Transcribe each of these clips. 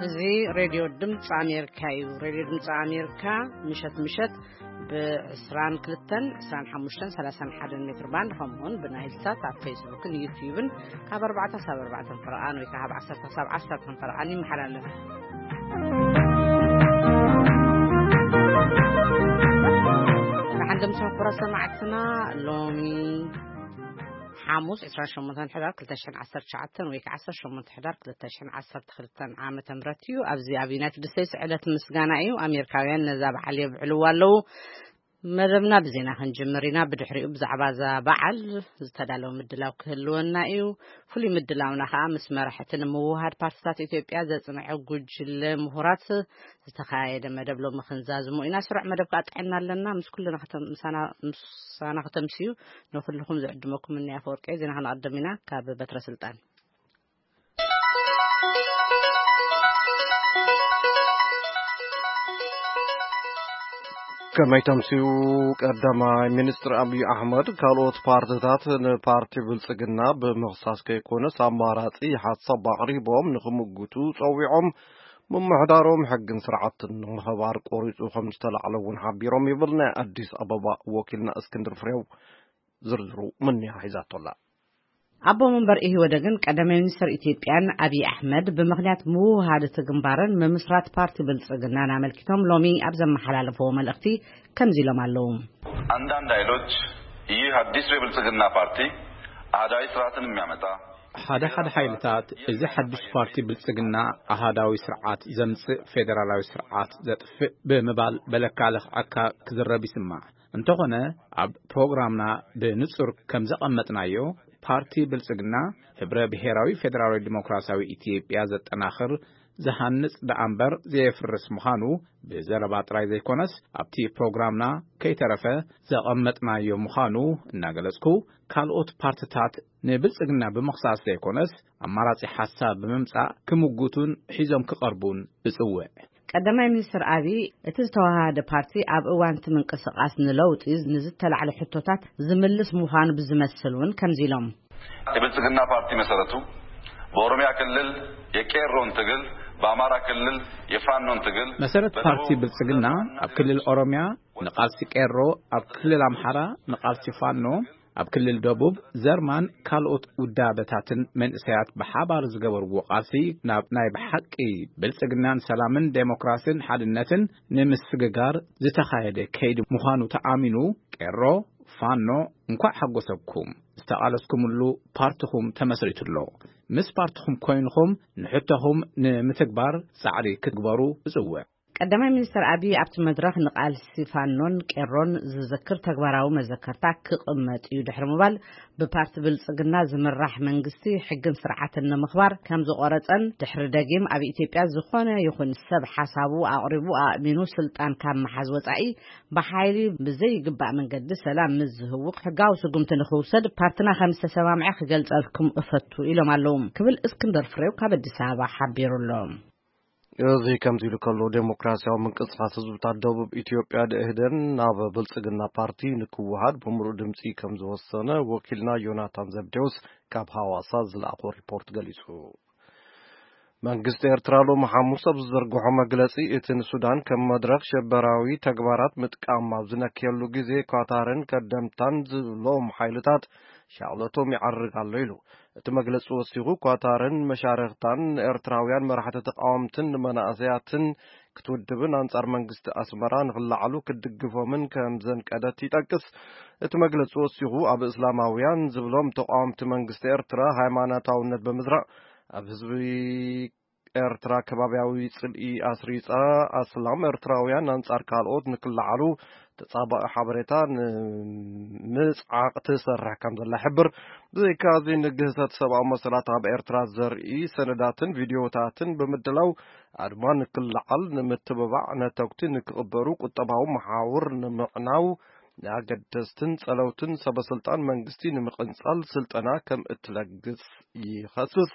እዚ ሬድዮ ድምፂ ኣሜሪካ እዩ። ሬድዮ ድምፂ ኣሜሪካ ምሸት ምሸት ብ22፣ 25፣ 31 ሜትር ባንድ፣ ከምኡውን ብናይል ሳት ኣብ ፌስቡክን ዩትዩብን ካብ ኣርባዕተ ክሳብ ኣርባዕተ ፈረቓን ወይ ከዓ ካብ ዓሰርተ ክሳብ ዓሰርተ ፈረቓን ይመሓላለፍ። ንሓንደምሰን ኩራ ሰማዕትና፣ ሎሚ ሓሙስ ዕስራን ሸሞንተን ሕዳር ክልተ ሽሕን ዓሰርተ ትሽዓተን ወይ ከዓ ዓሰርተ ሸሞንተ ሕዳር ክልተ ሽሕን ዓሰርተ ክልተን ዓመተ ምህረት እዩ። ኣብዚ ኣብ ዩናይትድ ስቴትስ ዕለት ምስጋና እዩ። ኣሜሪካውያን ነዛ በዓል የብዕልዋ ኣለዉ። መደብና ብዜና ክንጅምር ኢና። ብድሕሪኡ ብዛዕባ እዛ በዓል ዝተዳለወ ምድላው ክህልወና እዩ። ፍሉይ ምድላውና ከዓ ምስ መራሕቲ ንምውሃድ ፓርቲታት ኢትዮጵያ ዘጽንዐ ጉጅለ ምሁራት ዝተኻየደ መደብ ሎሚ ክንዛዝሞ ኢና። ስሩዕ መደብ ከዓ ጥዕና ኣለና። ምስ ኩልና ከተም-፣ ምሳና፣ ምሳና ከተምስዩ ንኩልኹም ዝዕድመኩም እኒ ኣፈወርቂ ዜና ከነቐድም ኢና። ካብ በትረ ስልጣን። ከመይ ተምስዩ? ቀዳማይ ሚኒስትር ኣብይ ኣሕመድ ካልኦት ፓርቲታት ንፓርቲ ብልጽግና ብምኽሳስ ከይኮነስ ኣማራጺ ሓሳብ ኣቕሪቦም ንኽምጉቱ ጸዊዖም። ምምሕዳሮም ሕግን ስርዓትን ንምኽባር ቆሪጹ ከም ዝተላዕለ እውን ሓቢሮም ይብል ናይ ኣዲስ ኣበባ ወኪልና እስክንድር ፍሬው። ዝርዝሩ ምንያ ሒዛቶላ። ኣቦ መንበር ኢህወደግን ቀዳማይ ሚኒስትር ኢትዮጵያን ኣብይ ኣሕመድ ብምኽንያት ምውህሃድ እቲ ግንባርን ምምስራት ፓርቲ ብልጽግናን ኣመልኪቶም ሎሚ ኣብ ዘመሓላለፍዎ መልእኽቲ ከምዚ ኢሎም ኣለዉ። አንዳንድ ኃይሎች ይህ አዲሱ የብልጽግና ፓርቲ አህዳዊ ስርዓትን የሚያመጣ ሓደ ሓደ ሓይልታት እዚ ሓድሽ ፓርቲ ብልጽግና ኣሃዳዊ ስርዓት ዘምጽእ ፌደራላዊ ስርዓት ዘጥፍእ ብምባል በለካ ለኽዐካ ክዝረብ ይስማዕ። እንተኾነ ኣብ ፕሮግራምና ብንጹር ከም ዘቐመጥናዮ ፓርቲ ብልጽግና ህብረ ብሔራዊ ፌደራላዊ ዲሞክራሲያዊ ኢትዮጵያ ዘጠናኽር ዝሃንጽ ደኣ እምበር ዘየፍርስ ምዃኑ ብዘረባ ጥራይ ዘይኮነስ ኣብቲ ፕሮግራምና ከይተረፈ ዘቐመጥናዮ ምዃኑ እናገለጽኩ ካልኦት ፓርትታት ንብልጽግና ብምኽሳስ ዘይኮነስ ኣማራጺ ሓሳብ ብምምጻእ ክምጉቱን ሒዞም ክቐርቡን እጽውዕ። ቀዳማይ ሚኒስትር ኣብይ እቲ ዝተዋሃደ ፓርቲ ኣብ እዋን እቲ ምንቅስቃስ ንለውጢ ንዝተላዕለ ሕቶታት ዝምልስ ምዃኑ ብዝመስል እውን ከምዚ ኢሎም። የብልጽግና ፓርቲ መሰረቱ በኦሮሚያ ክልል የቄሮን ትግል፣ በአማራ ክልል የፋኖን ትግል፣ መሰረት በደቡብ ፓርቲ ብልጽግና ኣብ ክልል ኦሮሚያ ንቃልሲ ቄሮ፣ ኣብ ክልል ኣምሓራ ንቃልሲ ፋኖ፣ ኣብ ክልል ደቡብ ዘርማን ካልኦት ውዳበታትን መንእሰያት ብሓባር ዝገበርዎ ቃልሲ ናብ ናይ ብሓቂ ብልጽግናን ሰላምን ዴሞክራስን ሓድነትን ንምስግጋር ዝተኻየደ ከይዲ ምዃኑ ተኣሚኑ፣ ቄሮ፣ ፋኖ፣ እንኳዕ ሓጎሰኩም። ዝተቓለስኩምሉ ፓርትኹም ተመስሪቱ ኣሎ። ምስ ፓርትኹም ኮይንኹም ንሕቶኹም ንምትግባር ጻዕሪ ክትግበሩ እጽውዕ። ቀዳማይ ሚኒስትር ኣብይ ኣብቲ መድረኽ ንቃልሲ ፋኖን ቄሮን ዝዝክር ተግባራዊ መዘከርታ ክቕመጥ እዩ ድሕሪ ምባል፣ ብፓርቲ ብልጽግና ዝምራሕ መንግስቲ ሕግን ስርዓትን ንምኽባር ከም ዝቖረጸን ድሕሪ ደጊም ኣብ ኢትዮጵያ ዝኾነ ይኹን ሰብ ሓሳቡ ኣቕሪቡ ኣእሚኑ ስልጣን ካብ ምሓዝ ወጻኢ ብሓይሊ ብዘይግባእ መንገዲ ሰላም ምስ ዝህውኽ ሕጋዊ ስጉምቲ ንኽውሰድ ፓርትና ከም ዝተሰማምዐ ክገልጸልኩም እፈቱ ኢሎም ኣለዉ ክብል እስክንደር ፍሬው ካብ ኣዲስ ኣበባ ሓቢሩ ኣሎ። እዚ ከምዚ ኢሉ ከሎ፣ ዴሞክራሲያዊ ምንቅስቃስ ህዝብታት ደቡብ ኢትዮጵያ፣ ደኢህዴን፣ ናብ ብልጽግና ፓርቲ ንክወሃድ ብምሉእ ድምጺ ከም ዝወሰነ ወኪልና ዮናታን ዘብዴዎስ ካብ ሃዋሳ ዝለኣኾ ሪፖርት ገሊጹ። መንግስቲ ኤርትራ ሎሚ ሓሙስ ኣብ ዝዘርግሖ መግለጺ፣ እቲ ንሱዳን ከም መድረኽ ሸበራዊ ተግባራት ምጥቃም ኣብ ዝነክየሉ ግዜ፣ ኳታርን ከደምታን ዝብሎም ሓይልታት ሻቕለቶም ይዓርግ ኣሎ ኢሉ። እቲ መግለጺ ወሲኹ፣ ኳታርን መሻርኽታን ንኤርትራውያን መራሕቲ ተቃወምትን ንመናእሰያትን ክትውድብን ኣንጻር መንግስቲ ኣስመራ ንኽለዓሉ ክትድግፎምን ከም ዘንቀደት ይጠቅስ። እቲ መግለጺ ወሲኹ፣ ኣብ እስላማውያን ዝብሎም ተቃወምቲ መንግስቲ ኤርትራ ሃይማኖታውነት ብምዝራእ፣ ኣብ ህዝቢ ኤርትራ ከባብያዊ ጽልኢ ኣስሪጻ፣ ኣስላም ኤርትራውያን ኣንጻር ካልኦት ንክለዓሉ ተጻባኢ ሓበሬታ ንምጽዓቕ ትሰርሕ ከም ዘላ ይሕብር። ብዘይካዚ፣ ንግህሰት ሰብኣዊ መሰላት ኣብ ኤርትራ ዘርኢ ሰነዳትን ቪድዮታትን ብምድላው፣ ኣድማ ንክለዓል ንምትብባዕ፣ ነተጉቲ ንክቕበሩ፣ ቁጠባዊ መሓውር ንምዕናው፣ ንኣገደስትን ጸለውትን ሰበስልጣን መንግስቲ ንምቕንጻል ስልጠና ከም እትለግስ ይኸስስ።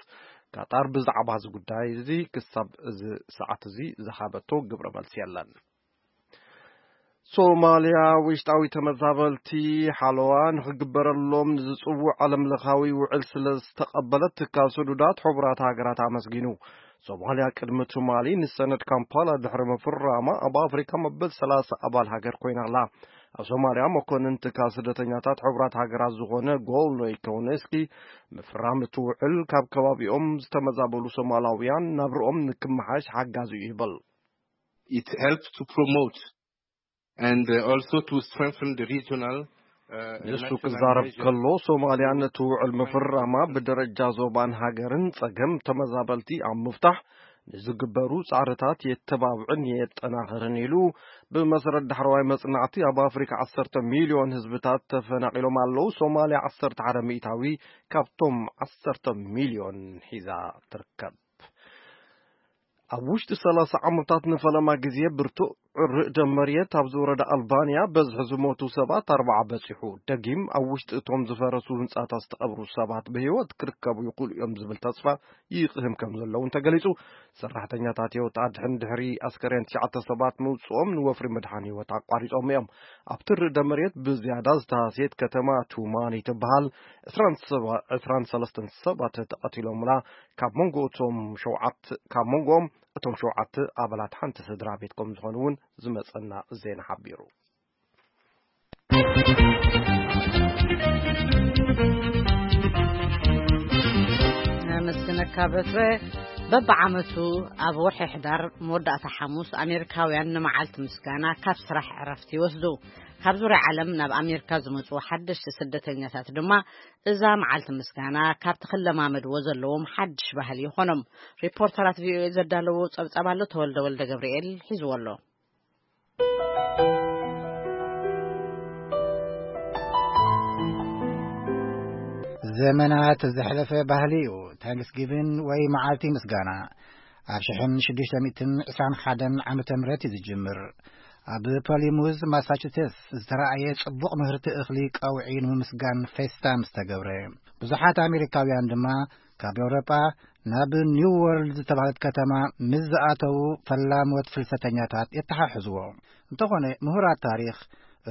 ካጣር ብዛዕባ እዚ ጉዳይ እዚ ክሳብ እዚ ሰዓት እዚ ዝሃበቶ ግብረ መልሲ የለን። ሶማልያ ውሽጣዊ ተመዛበልቲ ሓለዋ ንኽግበረሎም ንዝጽውዕ ዓለምለኻዊ ውዕል ስለ ዝተቐበለት ትካል ስዱዳት ሕቡራት ሃገራት ኣመስጊኑ። ሶማልያ ቅድሚ ትማሊ ንሰነድ ካምፓላ ድሕሪ ምፍራማ ኣብ ኣፍሪካ መበል ሰላሳ ኣባል ሃገር ኮይና ኣላ። ኣብ ሶማልያ መኮንን ትካል ስደተኛታት ሕቡራት ሃገራት ዝኾነ ጎልኖይ ከውነስኪ፣ ምፍራም እቲ ውዕል ካብ ከባቢኦም ዝተመዛበሉ ሶማላውያን ናብርኦም ንክመሓሽ ሓጋዚ እዩ ይብል። It helps to promote and uh, also to strengthen the regional uh, ንሱ ክዛረብ ከሎ፣ ሶማልያ ነቲ ውዕል ምፍራማ ብደረጃ ዞባን ሃገርን ጸገም ተመዛበልቲ ኣብ ምፍታሕ ንዝግበሩ ጻዕርታት የተባብዕን የጠናኽርን ኢሉ። ብመሰረት ዳሕረዋይ መጽናዕቲ፣ ኣብ ኣፍሪካ ዓሰርተ ሚልዮን ህዝብታት ተፈናቒሎም ኣለዉ። ሶማልያ ዓሰርተ ሓደ ሚእታዊ ካብቶም ዓሰርተ ሚልዮን ሒዛ ትርከብ። ኣብ ውሽጢ ሰላሳ ዓመታት ንፈለማ ግዜ ብርቱዕ ርዕደ መሬት ኣብ ዝወረደ ኣልባንያ በዝሒ ዝሞቱ ሰባት ኣርባዓ በጺሑ። ደጊም ኣብ ውሽጢ እቶም ዝፈረሱ ህንጻታት ዝተቐብሩ ሰባት ብህይወት ክርከቡ ይኽእሉ እዮም ዝብል ተስፋ ይቕህም ከም ዘለውን ተገሊጹ። ሰራሕተኛታት ህይወት ኣድሕን ድሕሪ ኣስከሬን ትሽዓተ ሰባት ምውጽኦም ንወፍሪ ምድሓን ህይወት ኣቋሪጾም እዮም። ኣብቲ ርዕደ መሬት ብዝያዳ ዝተሃስየት ከተማ ቱማኒ ትበሃል። ዕስራን ሰለስተን ሰባት ተቐቲሎምላ። ካብ መንጎ እቶም ሸውዓተ ካብ መንጎኦም እቶም ሸውዓተ ኣባላት ሓንቲ ስድራ ቤት ከም ዝኾኑ እውን ዝመጸና ዜና ሓቢሩ። ኣመስግነካ በትረ። በብዓመቱ ኣብ ወርሒ ሕዳር መወዳእታ ሓሙስ ኣሜሪካውያን ንመዓልቲ ምስጋና ካብ ስራሕ ዕረፍቲ ይወስዱ። ካብ ዙርያ ዓለም ናብ ኣሜሪካ ዝመጹ ሓደሽቲ ስደተኛታት ድማ እዛ መዓልቲ ምስጋና ካብቲ ክለማመድዎ ዘለዎም ሓድሽ ባህሊ ይኾኖም። ሪፖርተራት ቪኦኤ ዘዳለዎ ጸብጻብ ኣሎ፣ ተወልደ ወልደ ገብርኤል ሒዝዎ ኣሎ። ዘመናት ዘሕለፈ ባህሊ እዩ ታንክስጊቪን ወይ መዓልቲ ምስጋና። ኣብ ሽሕን ሽዱሽተ ሚእትን ዕስራን ሓደን ዓመተ ምህረት እዩ ዝጅምር። ኣብ ፖሊሙዝ ማሳቹሴትስ ዝተራእየ ጽቡቕ ምህርቲ እኽሊ ቀውዒ ንምምስጋን ፌስታ ምስ ተገብረ፣ ብዙሓት ኣሜሪካውያን ድማ ካብ ኤውሮጳ ናብ ኒው ወርልድ ዝተባህለት ከተማ ምስ ዝኣተዉ ፈላሞት ፍልሰተኛታት የተሓሕዝዎ። እንተኾነ ምሁራት ታሪኽ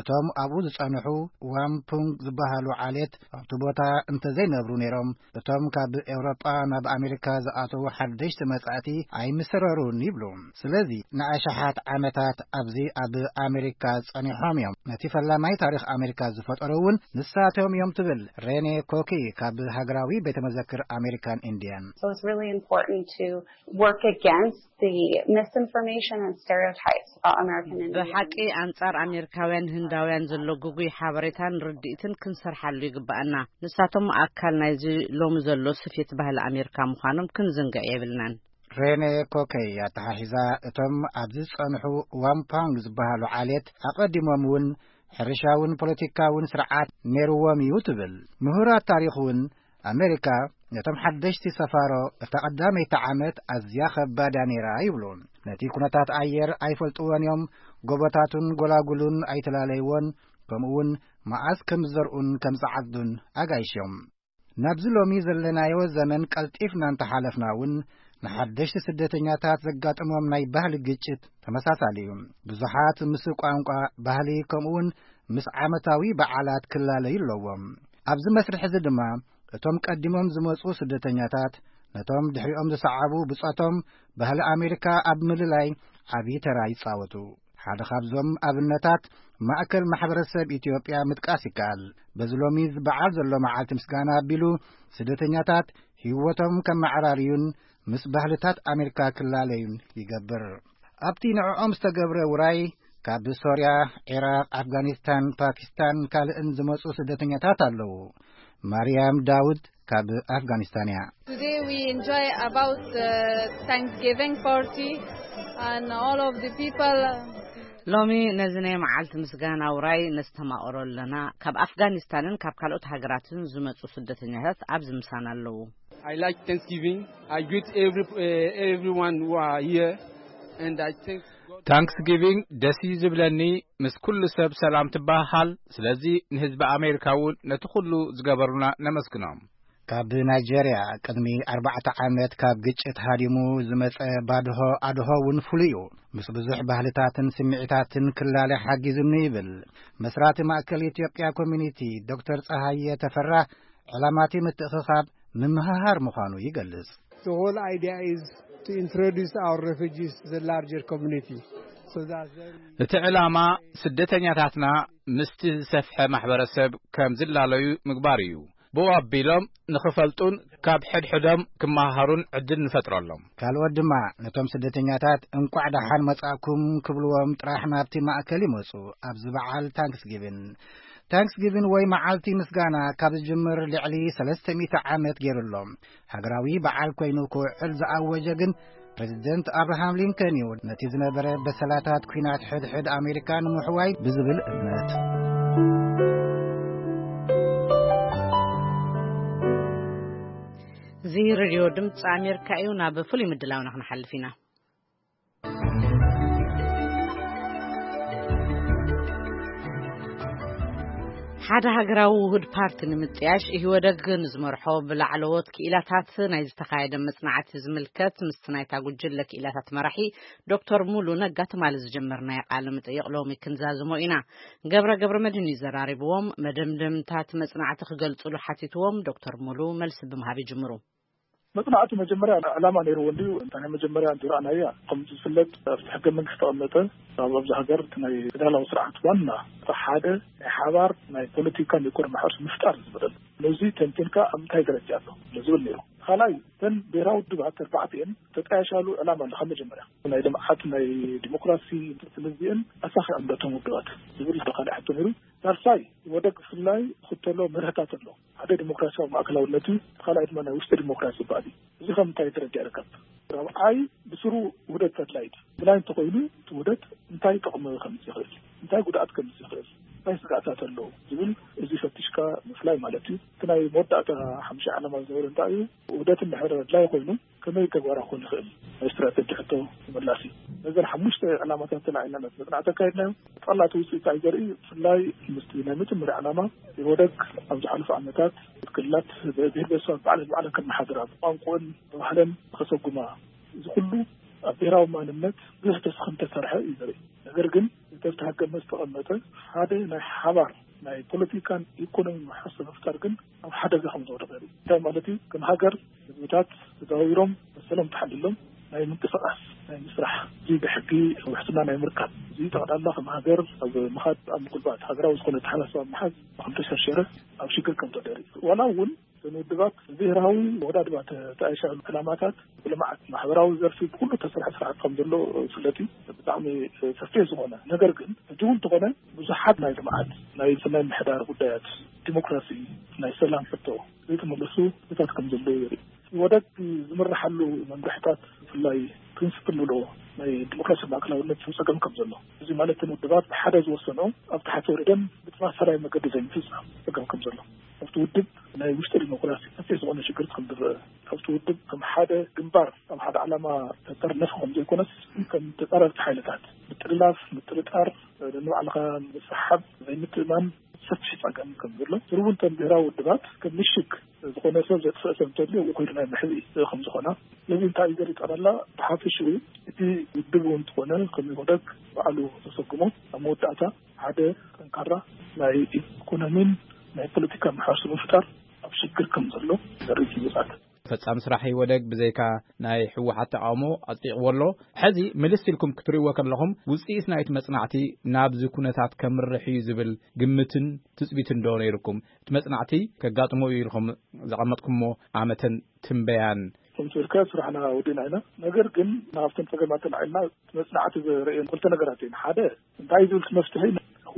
እቶም ኣብኡ ዝጸንሑ ዋምፑንግ ዝበሃሉ ዓሌት ኣብቲ ቦታ እንተዘይነብሩ ነይሮም፣ እቶም ካብ ኤውሮጳ ናብ ኣሜሪካ ዝኣተዉ ሓደሽቲ መጻእቲ ኣይምሰረሩን ይብሉ። ስለዚ ንኣሽሓት ዓመታት ኣብዚ ኣብ ኣሜሪካ ጸኒሖም እዮም። ነቲ ፈላማይ ታሪኽ ኣሜሪካ ዝፈጠሩ እውን ንሳቶም እዮም ትብል ሬኔ ኮኪ ካብ ሃገራዊ ቤተ መዘክር ኣሜሪካን ኢንዲያን። So it's really important to work against the misinformation and stereotypes about American Indians. ብሓቂ ኣንጻር ኣሜሪካውያን ህንዳውያን ዘሎ ግጉይ ሓበሬታን ርድኢትን ክንሰርሓሉ ይግባኣና። ንሳቶም ኣካል ናይዚ ሎሚ ዘሎ ስፌት ባህሊ ኣሜሪካ ምዃኖም ክንዝንግዕ የብልናን። ሬኔ ኮከይ ኣተሓሒዛ፣ እቶም ኣብዚ ዝጸንሑ ዋምፓንግ ዝበሃሉ ዓሌት ኣቐዲሞም እውን ሕርሻውን ፖለቲካውን ስርዓት ነይርዎም እዩ ትብል። ምሁራት ታሪኽ እውን ኣሜሪካ ነቶም ሓደሽቲ ሰፋሮ እታ ቀዳመይቲ ዓመት ኣዝያ ከባዳ ነይራ ይብሉ። ነቲ ኩነታት ኣየር ኣይፈልጥዎን እዮም። ጎቦታቱን ጎላጉሉን ኣይተላለይዎን፣ ከምኡውን መዓስ ከም ዝዘርኡን ከም ዝዓጽዱን ኣጋይሾም። ናብዚ ሎሚ ዘለናዮ ዘመን ቀልጢፍና እንተሓለፍና እውን ንሓደሽቲ ስደተኛታት ዘጋጥሞም ናይ ባህሊ ግጭት ተመሳሳሊ እዩ። ብዙሓት ምስ ቋንቋ፣ ባህሊ ከምኡውን ምስ ዓመታዊ በዓላት ክላለዩ ኣለዎም። ኣብዚ መስርሕ እዚ ድማ እቶም ቀዲሞም ዝመጹ ስደተኛታት ነቶም ድሕሪኦም ዝሰዓቡ ብጾቶም ባህሊ ኣሜሪካ ኣብ ምልላይ ዓብዪ ተራ ይጻወቱ። ሓደ ካብዞም ኣብነታት ማእከል ማሕበረሰብ ኢትዮጵያ ምጥቃስ ይከኣል። በዚ ሎሚ ዝበዓል ዘሎ መዓልቲ ምስጋና ኣቢሉ ስደተኛታት ህይወቶም ከመዓራርዩን ምስ ባህልታት ኣሜሪካ ክላለዩን ይገብር። ኣብቲ ንዕኦም ዝተገብረ ውራይ ካብ ሶርያ፣ ዒራቕ፣ ኣፍጋኒስታን፣ ፓኪስታን ካልእን ዝመጹ ስደተኛታት ኣለዉ። ማርያም ዳውድ ካብ ኣፍጋኒስታን እያ። Today we enjoy about the Thanksgiving party and all of the people. ሎሚ ነዚ ናይ መዓልቲ ምስጋና ውራይ ነስተማቕሮ ኣለና። ካብ ኣፍጋኒስታንን ካብ ካልኦት ሃገራትን ዝመጹ ስደተኛታት ኣብዚ ምሳና ኣለዉ። I like Thanksgiving. I greet every, uh, everyone who are here and I thank God. ታንክስጊቪንግ ደስ እዩ ዝብለኒ፣ ምስ ኩሉ ሰብ ሰላም ትበሃሃል። ስለዚ ንህዝቢ ኣሜሪካ እውን ነቲ ኩሉ ዝገበሩና ነመስግኖም። ካብ ናይጀርያ ቅድሚ ኣርባዕተ ዓመት ካብ ግጭት ሃዲሙ ዝመጸ ባድሆ ኣድሆ እውን ፍሉይ እዩ። ምስ ብዙሕ ባህልታትን ስምዒታትን ክላለ ሓጊዙኒ ይብል። መስራቲ ማእከል ኢትዮጵያ ኮሚኒቲ ዶክተር ጸሃየ ተፈራ፣ ዕላማቲ ምትእኽኻብ ምምሃሃር ምዃኑ ይገልጽ። The whole idea is to introduce our refugees to the larger community, so that then እቲ ዕላማ ስደተኛታትና ምስቲ ዝሰፍሐ ማሕበረሰብ ከም ዝላለዩ ምግባር እዩ። ብኡ ኣቢሎም ንኽፈልጡን ካብ ሕድሕዶም ክመሃሃሩን ዕድል ንፈጥረሎም። ካልኦት ድማ ነቶም ስደተኛታት እንቋዕ ደሓን መጻእኩም ክብልዎም ጥራሕ ናብቲ ማእከል ይመጹ። ኣብዚ በዓል ታንክስጊቪን ታንክስጊቪን ወይ መዓልቲ ምስጋና ካብ ዝጅምር ልዕሊ ሰለስተ ሚእቲ ዓመት ገይሩ ኣሎ። ሃገራዊ በዓል ኮይኑ ክውዕል ዝኣወጀ ግን ፕሬዚደንት ኣብርሃም ሊንከን እዩ። ነቲ ዝነበረ በሰላታት ኲናት ሕድሕድ ኣሜሪካ ንምሕዋይ ብዝብል እምነት። እዚ ሬድዮ ድምፂ ኣሜሪካ እዩ። ናብ ፍሉይ ምድላውና ክንሓልፍ ኢና። ሓደ ሃገራዊ ውሁድ ፓርቲ ንምጥያሽ ኢህወደግ ንዝመርሖ ብላዕለዎት ክኢላታት ናይ ዝተኻየደ መጽናዕቲ ዝምልከት ምስቲ ናይታ ጉጅለ ክኢላታት መራሒ ዶክተር ሙሉ ነጋ ትማሊ ዝጀመርናዮ ቃለ መጠይቕ ሎሚ ክንዛዝሞ ኢና። ገብረ ገብረ መድህን እዩ ዘራሪብዎም። መደምደምታት መጽናዕቲ ክገልጹሉ ሓቲትዎም። ዶክተር ሙሉ መልሲ ብምሃብ ይጅምሩ። መጽናዕቱ መጀመርያ ዕላማ ነይርዎ እንድዩ። እንታ ናይ መጀመርያ እንድዩ ረኣናያ፣ ከም ዝፍለጥ ኣብቲ ሕገ መንግስቲ ተቐመጠ፣ ኣብ ኣብዚ ሃገር እቲ ናይ ፌደራላዊ ስርዓት ዋና እቲ ሓደ ናይ ሓባር ናይ ፖለቲካን ኢኮኖሚ ማሕበረሰብ ምፍጣር ዝብል ኣሎ። ነዚ ተንቲንካ ኣብ እንታይ ደረጃ ኣሎ ዝብል ነይሩ። ካልኣይ፣ እተን ብሄራዊ ውድባት ኣርባዕቲኤን ተጣያሻሉ ዕላማ ኣሎ። ካብ መጀመርያ ናይ ልምዓት ናይ ዲሞክራሲ ስለዚአን ኣሳኺዐን ዶ እቶም ውድባት ዝብል ካልእ ሕቶ ነይሩ። ሳልሳይ፣ ወደግ ብፍላይ ዝኽተሎ መርህታት ኣሎ። ሓደ ዲሞክራሲያዊ ማእከላውነት እዩ፣ እቲ ካልኣይ ድማ ናይ ውሽጢ ዲሞክራሲ ዝበሃል እዩ። እዚ ከም እንታይ ደረጃ ይርከብ? ራብዓይ፣ ብስሩ ውህደት ኣድላይ ድዩ? ኣድላይ እንተኾይኑ እቲ ውህደት እንታይ ጥቕሚ ከምጽእ ይኽእል? እንታይ ጉድኣት ከምጽእ ይኽእል? እንታይ ስጋእታት ኣለዎ ዝብል እዚ ፈቲሽካ ምፍላይ ማለት እዩ። እቲ ናይ መወዳእታ ሓምሻይ ዕላማ ዝነበረ እንታይ እዩ? ውህደት እንድሕር ኣድላይ ኮይኑ ከመይ ተግባራዊ ክኾን ይኽእል? ናይ ስትራተጂ ሕቶ ተመላሲ። ነዘን ሓሙሽተ ዕላማታት ተላዒልና መጽናዕቲ ኣካይድናዮ። ጠቕላላ ውፅኢት እንታይ ዘርኢ? ብፍላይ ምስቲ ናይ መጀመርያ ዕላማ ኢህወደግ ኣብ ዝሓለፉ ዓመታት ክልላት ብሄር ብሄረሰባት ባዕለን ባዕለን ከመሓድራ፣ ብቋንቋን ብባህለን ከሰጉማ፣ እዚ ኩሉ ኣብ ብሄራዊ ማንነት ብዙሕ ተስፋ ከም ተሰርሐ እዩ ዘርኢ። ነገር ግን እቲ ኣብቲ ሕገ ዝተቐመጠ ሓደ ናይ ሓባር ናይ ፖለቲካን ኢኮኖሚ ማሕበረሰብ ምፍጣር ግን ኣብ ሓደጋ ከም ዝወደቐ የርኢ። እንታይ ማለት እዩ? ከም ሃገር ህዝብታት ተዘዋዊሮም መሰሎም ተሓልሎም ናይ ምንቅስቓስ፣ ናይ ምስራሕ፣ እዚ ብሕጊ ውሕስና ናይ ምርካብ፣ እዚ ጠቕላላ ከም ሃገር ኣብ ምኻድ፣ ኣብ ምጉልባት፣ ሃገራዊ ዝኾነ ኣተሓሳስባ ምሓዝ ከም ተሸርሸረ፣ ኣብ ሽግር ከም ተወደቀ የርኢ። ዋላ እውን እተን ውድባት ብብሄራዊ ወዳድባ ተጣይሻ ዕላማታት ብልምዓት ማሕበራዊ ዘርፊ ብኩሉ ተሰርሐ ስርዓት ከም ዘሎ ይፍለጥ እዩ። ብጣዕሚ ሰፊሕ ዝኾነ ነገር ግን ሕጂ እውን እንተኾነ ብዙሓት ናይ ልምዓት፣ ናይ ስነ ምሕዳር ጉዳያት፣ ዲሞክራሲ፣ ናይ ሰላም ሕቶ ዘይተመለሱ ሕቶታት ከም ዘለዉ የርኢ። ወደግ ዝምርሓሉ መምርሕታት ብፍላይ ፕሪንስፕል ንብሎ ናይ ዲሞክራሲ ማእከላውነት ጸገም ከም ዘሎ፣ እዚ ማለት እተን ውድባት ብሓደ ዝወሰኖ ኣብ ታሕቲ ወሪደን ብተመሳሳላይ መገዲ ዘይምፍጻም ጸገም ከም ዘሎ፣ ኣብቲ ውድብ ናይ ውሽጢ ዲሞክራሲ ሰፊሕ ዝኾነ ሽግር ከም ዝረአ፣ ኣብቲ ውድብ ከም ሓደ ግንባር ኣብ ሓደ ዓላማ ተጠርነፈ ከም ዘይኮነስ ከም ተጻረርቲ ሓይልታት ምጥልላፍ፣ ምጥርጣር፣ ንባዕልኻ ምስሓብ፣ ዘይምትእማን ሰፊሕ ጸገም ከም ዘሎ፣ ስሩቡ እንተን ብሄራዊ ውድባት ከም ምሽግ ዝኾነ ሰብ ዘጥፍአ ሰብ እንተልዩ ኣብኡ ከይዱ ናይ ምሕዝ ከም ዝኾና፣ ነዚ እንታይ እዩ ዘርኢ ጠቕላላ ብሓፈሽኡ እቲ ውድብ እውን እንተኾነ ከም ኢህወደግ ባዕሉ ተሰጉሞ ኣብ መወዳእታ ሓደ ጠንካራ ናይ ኢኮኖሚን ናይ ፖለቲካ ማሕበረሰብ ምፍጣር ኣብ ሽግር ከም ዘሎ ዘርኢ ግልጻት። ፈጻሚ ስራሕ ኢህወደግ ብዘይካ ናይ ህወሓት ተቃውሞ ኣጽዲቕዎ ኣሎ። ሕዚ ምልስ ኢልኩም ክትርእይዎ ከለኹም ውጽኢት ናይቲ መጽናዕቲ ናብዚ ኩነታት ከምርሕ እዩ ዝብል ግምትን ትጽቢትን ዶ ነይርኩም? እቲ መጽናዕቲ ከጋጥሞ እዩ ኢልኩም ዘቐመጥኩሞ ኣመተን ትንበያን? ከምቲ ኢልካ ስራሕና ወዲእና ኢና። ነገር ግን ናብተን ጸገማት ተላዒልና እቲ መጽናዕቲ ዘርእየን ክልተ ነገራት እየን። ሓደ እንታይ ዝብል መፍትሒ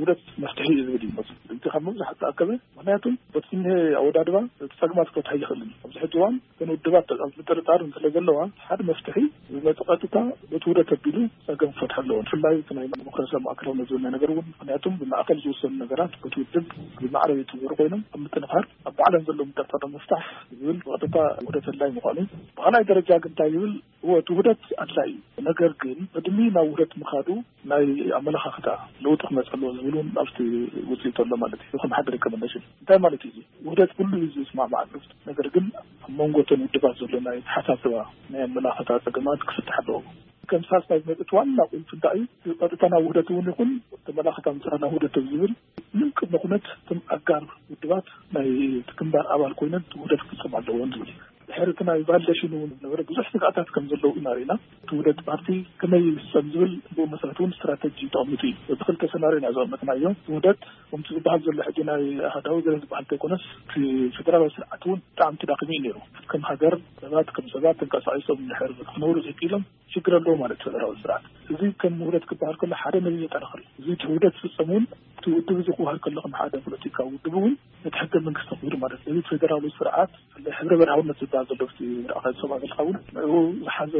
ውህደት መፍትሒ እዩ ዝብል እዩ ዝመስል። እቲ ካብ ምብዛሕ ዝተኣከበ፣ ምኽንያቱ በቲ ዝኒሀ ኣወዳድባ እቲ ጸገማት ክፈትሓ ኣይኽእልን። ኣብዚ ሕጂ እዋን እተን ውድባት ኣብ ምጥርጣር ስለ ዘለዋ ሓደ መፍትሒ ዝመጽእ ቀጥታ በቲ ውህደት ኣቢሉ ጸገም ክፈትሓ ኣለዎ። ብፍላይ እቲ ናይ ዲሞክራሲያዊ ማእከላውነት ዝብል ናይ ነገር እውን፣ ምኽንያቱም ብማእከል ዝውሰኑ ነገራት በቲ ውድብ ብማዕረ ይትግበሩ ኮይኖም ኣብ ምጥንኻር ኣብ ባዕለን ዘለዉ ምጥርጣር ንምፍታሕ ዝብል ብቐጥታ ውህደት ኣድላይ ምዃኑ። ብኻልኣይ ደረጃ ግን እንታይ ይብል? እወ፣ እቲ ውህደት ኣድላይ እዩ። ነገር ግን ቅድሚ ናብ ውህደት ምኻዱ ናይ ኣመለኻኽታ ለውጢ ክመጽእ ኣለዎ ዝብል ኢሉን ኣብቲ ውፅኢት ኣሎ ማለት እዩ። ከም ሓደ ሪኮመንዴሽን እንታይ ማለት እዩ? ውህደት ኩሉ እዩ ዝስማማዓሉ። ነገር ግን ኣብ መንጎ እተን ውድባት ዘሎ ናይ ተሓሳስባ ናይ ኣመላኸታ ፀገማት ክፍታሕ ኣለዎ። ከም ሳልሳይ ዝመፅእ ዋና ቁልፊ እንታይ እዩ? ቀጥታ ናብ ውህደት እውን ይኹን ተመላኸታ ምፅራ ናብ ውህደት ዝብል ምንም ቅድመ ኩነት እቶም ኣጋር ውድባት ናይ እቲ ግንባር ኣባል ኮይነን ውህደት ክፍፀም ኣለዎን ዝብል እዩ። ድሕሪ እቲ ናይ ቫሊዴሽን እውን ነበረ ብዙሕ ስግኣታት ከም ዘለዉ ኢና ርኢና። እቲ ውህደት ፓርቲ ከመይ ይፍፀም ዝብል ብኡ መሰረት እውን ስትራተጂ ተቐሚጡ እዩ። በዚ ክልተ ሰናርዮ ኢና ዘቐመጥናዮ። ውህደት ከምቲ ዝበሃል ዘሎ ሕጂ ናይ ኣሃዳዊ ገለ ዝበሃል እንተይኮነስ እቲ ፌደራላዊ ስርዓት እውን ብጣዕሚ ተዳኺሙ እዩ ነይሩ። ከም ሃገር ሰባት ከም ሰባት ተንቀሳቒሶም እንድሕር ክነብሩ ዘይክኢሎም ሽግር ኣለዎ ማለት እዩ ፌደራላዊ ስርዓት። እዚ ከም ውህደት ክበሃል ከሎ ሓደ ነዚ ዘጠናኽር እዩ። እዚ እቲ ውህደት ዝፍፀም እውን እቲ ውድብ እዚ ክበሃል ከሎ ከም ሓደ ፖለቲካዊ ውድብ እውን ነቲ ሕገ መንግስቲ ኣኽቢሩ ማለት እዩ። እዚ ፌደራላዊ ስርዓት ብፍላይ ሕብረ ብሄራውነት ዝበሃል ዘሎ ኣብቲ ርኣኻ ዝሰምዖ ዘለኻ እውን ንዕኡ ዝሓዘ